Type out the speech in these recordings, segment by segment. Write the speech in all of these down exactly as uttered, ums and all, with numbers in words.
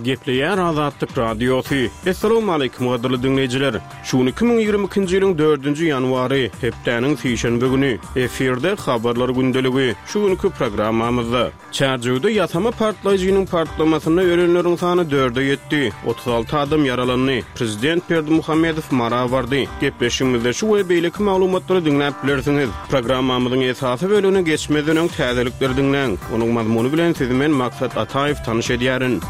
Gepleýär Azatlyk Radiosy. Assalamualaikum gadyrly diňleýjiler. Şu gün iki müň ýigrimi ikinji ýylyň dördünji ýanwary, hepdäniň sişenbe güni. Efirde habarlar gündeligi. Şu günki programmamyzda Çärjewde ýasama partlaýjynyň partlamasynda ölenleriň sany dörde ýetdi, otuz alty adam ýaralandy. Prezident Berdimuhamedow Mara bardy. Gepleşigimizde şu we beýleki maglumatlary diňläp bilersiňiz. Programmamyzyň esasy bölümine geçmezden öň täzelikleri diňläň. Onuň mazmuny bilen sizi men Maksat Ataýew tanyş edýärin.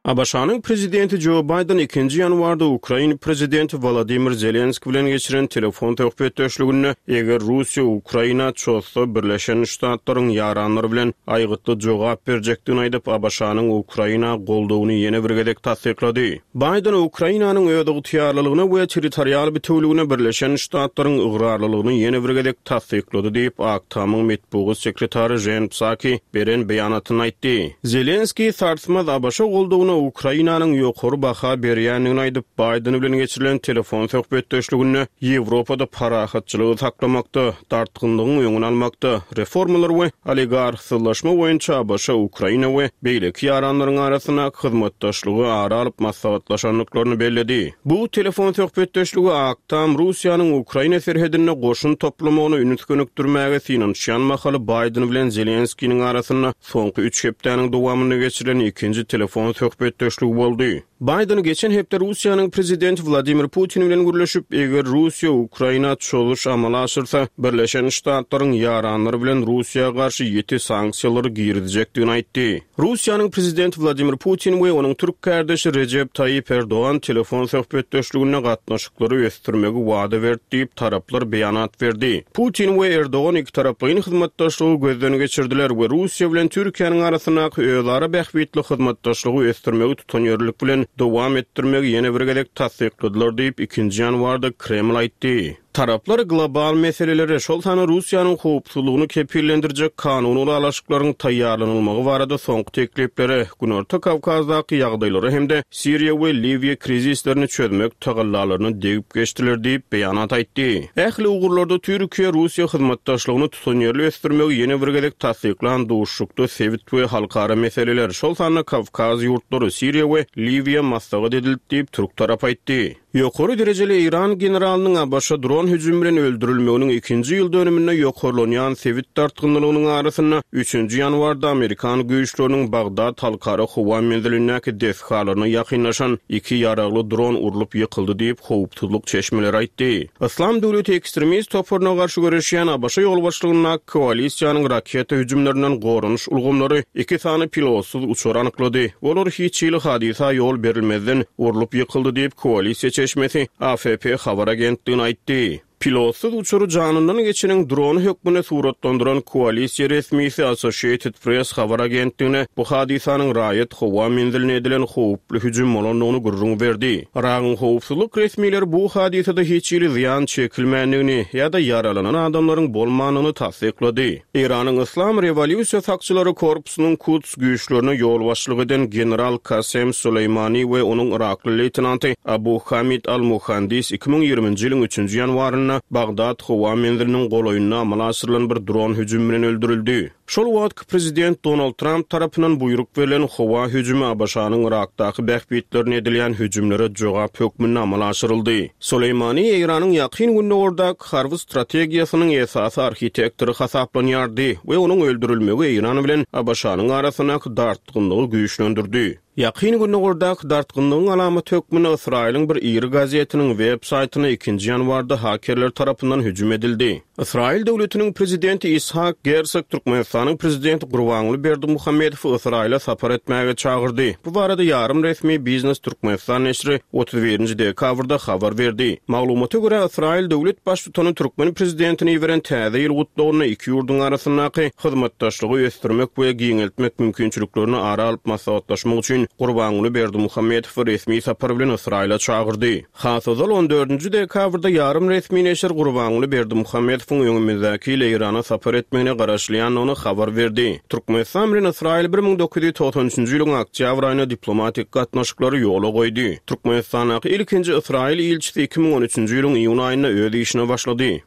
A B Ş-nyň prezidenti Joe Biden ikinji ýanwarda Ukraina prezidenti Volodymyr Zelenski bilen geçiren telefon söhbetdeşliginde eger Russiýa Ukraina çozsa Birleşen Ştatlaryň ýaranlary bilen aýgytly jogap berjekdigini aýdyp, A B Ş-nyň Ukraina goldawyny ýene bir gezek tassyklady. Biden Ukrainanyň öz ygtyýarlylygyna we territorial bütewligine Birleşen Ştatlaryň ygrarlylygyny ýene bir gezek tassyklady diýip, Ak Tamyň metbugat sekretary Jen Psaki beren beýanatyny aýtdy. Zelenski sarsmaz A B Ş goldawyna Ukrainanyň ýokary baha berýändigini aýdyp, Biden bilen geçirilen telefon söhbetdeşliginde Ýewropada parahatçylygy saklamakda, dartgynlygyň öňüni almakda, reformalar we oligarhsyzlaşma boýunça A B Ş, Ukraina we beýleki ýaranlaryň arasynda hyzmatdaşlygy ara alyp maslahatlaşandyklaryny belledi. Bu telefon söhbetdeşligi Ak Tam Russiýanyň Ukraina serhedinde goşun toplamagyny üns gönükdirmäge synanyşýan mahaly Biden bilen Zelenskiniň arasynda soňky üç hepdäniň dowamynda geçirilen ikinji telefon söhbetdeşligi boldy. Biden geçen hepde Russiýanyň prezidenti Vladimir Putin bilen gürleşip, eger Russiýa Ukraina çozuş amala aşyrsa, Birleşen Ştatlaryň ýaranlary bilen Russiýa garşy ýiti sanksiýalary girizjekdigini aýtdy. Russiýanyň prezidenti Vladimir Putin we onuň türk kardeşi Recep Tayyip Erdoğan telefon söhbetdeşliginde gatnaşyklary ösdürmegi wada berdi diýip taraplar beýanat berdi. Putin we Erdoğan iki taraplaýyn hyzmatdaşlygy gözden geçirdiler we Russiýa bilen Türkiýäniň arasyndaky özara bähbitli hyzmatdaşlygy ösdürmegi tutanýerlik bilen dowam etdirmegi ýene bir gezek tassykladylar diýip ikinji ýanwarda Kreml aýtdy. Taraplar global meseleleri, şol sanda Russiýanyň howpsuzlygyny kepillendirjek kanuny ylalaşyklaryň taýýarlanylmagy barada soňky tekliplere, Günorta Kawkazdaky ýagdaýlary hem-de Siriýa we Liwiýa krizislerini çözmek tagallalaryny degip geçdiler diýip beýanat aýtdy. Ähli ugurlarda Türkiýe-Russiýa hyzmatdaşlygyny tutanýerli ösdürmegi ýene bir gezek tassyklan duşuşykda sebit we halkara meseleler, şol sanda Kawkaz ýurtlary, Siriýa we Liwiýa maslahat edildi diýip türk tarapy aýtdy. Ýokary derejeli Eýran generalynyň A B Ş dron hüjümi bilen öldürilmeginiň ikinji ýyl dönüminde ýokarlanýan sebit dartgynlygynyň arasynda üçünji ýanwarda Amerikan güýçleriniň Bagdad halkara howa menzilindäki desgalaryna ýakynlaşan iki ýaragly dron urlup ýykyldy diýip howpsuzlyk çeşmeleri aýtdy. Islam döwleti ekstremist toparyna garşy göreşýän A B Ş ýolbaşçylygyndaky koalisiýanyň raketa hüjümlerinden goranyş ulgamlary iki sany pilotsyz uçar anyklady. Olar hiç hili hadysa ýol berilmezden urlup ýykyldy diýip koalisiýa çeşmesi A F P habar agentligine aýtdy. Pilotsyz uçary janyndan geçeniň drony hökmünde suratlandyran koalisiýa resmisi Associated Press habar agentligine bu hadysanyň raýat howa menziline edilen howply hüjüm bolandygyny gürrüň berdi. Yragyň howpsuzlyk resmileri bu hadysada hiç hili zyýan çekilmändigini ýa-da ýaralanan adamlaryň bolmandygyny tassyklady. Eýranyň Islam rewolýusiýa sakçylary korpusynyň Kuds güýçlerine ýolbaşçylyk eden general Kasem Süleýmani we onuň Irakly leýtenanty Abu Hamid al-Muhandis iki müň ýigriminji ýylyň üçünji ýanwarynda Bagdad howa menziliniň golaýynda amala aşyrylan bir dron hüjümi bilen öldürildi. Şol wagtky prezident Donald Trump tarapyndan buýruk berlen howa hüjümi A B Ş-nyň Irakdaky bähbitlerine edilýän hüjümlere jogap hökmünde amala aşyryldy. Süleýmani Eýranyň ýakyn gündogardaky harby strategiýasynyň esasy arhitektory hasaplanýardy we onuň öldürilmegi Eýran bilen A B Ş-nyň arasyndaky dartgynlygy güýçlendirdi. Ýakyn gündogardaky dartgynlygyň alamaty hökmünde Ysraýylyň bir iri gazetiniň web saýtyna ikinji ýanwarda hakerler tarapyndan hüjüm edildi. Ysraýyl döwletiniň prezidenti Ishak Gersog Türkmenistanyň prezidenti Gurbanguly Berdimuhamedowy Ysraýyla sapar etmäge çagyrdy. Bu barada ýarym resmi Biznes Türkmenistan neşiri otuz birinji dekabrda habar berdi. Maglumata görä Ysraýyl döwlet baştutany türkmen prezidentini iberen täze ýyl gutlagynda iki ýurduň arasyndaky hyzmatdaşlygy ösdürmek we giňeltmek mümkinçiliklerini ara alyp maslahatlaşmak üçin Gurbanguly Berdimuhamedowy resmi sapar bilen Ysraýyla çagyrdy. Has ozal on dördünji dekabrda ýarym resmi neşir Gurbanguly Berdimuhamedowyň öňümizdäki ýyl Eýrana sapar etmegine garaşylýandygyny habar berdi. Türkmenistan bilen Ysraýyl bir müň dokuz ýüz togsan üçünji ýylyň oktýabr aýynda diplomatik gatnaşyklary ýola goýdy. Türkmenistandaky ilkinji Ysraýyl ilçisi iki müň on üçünji ýylyň iýun aýynda öz işine başlady.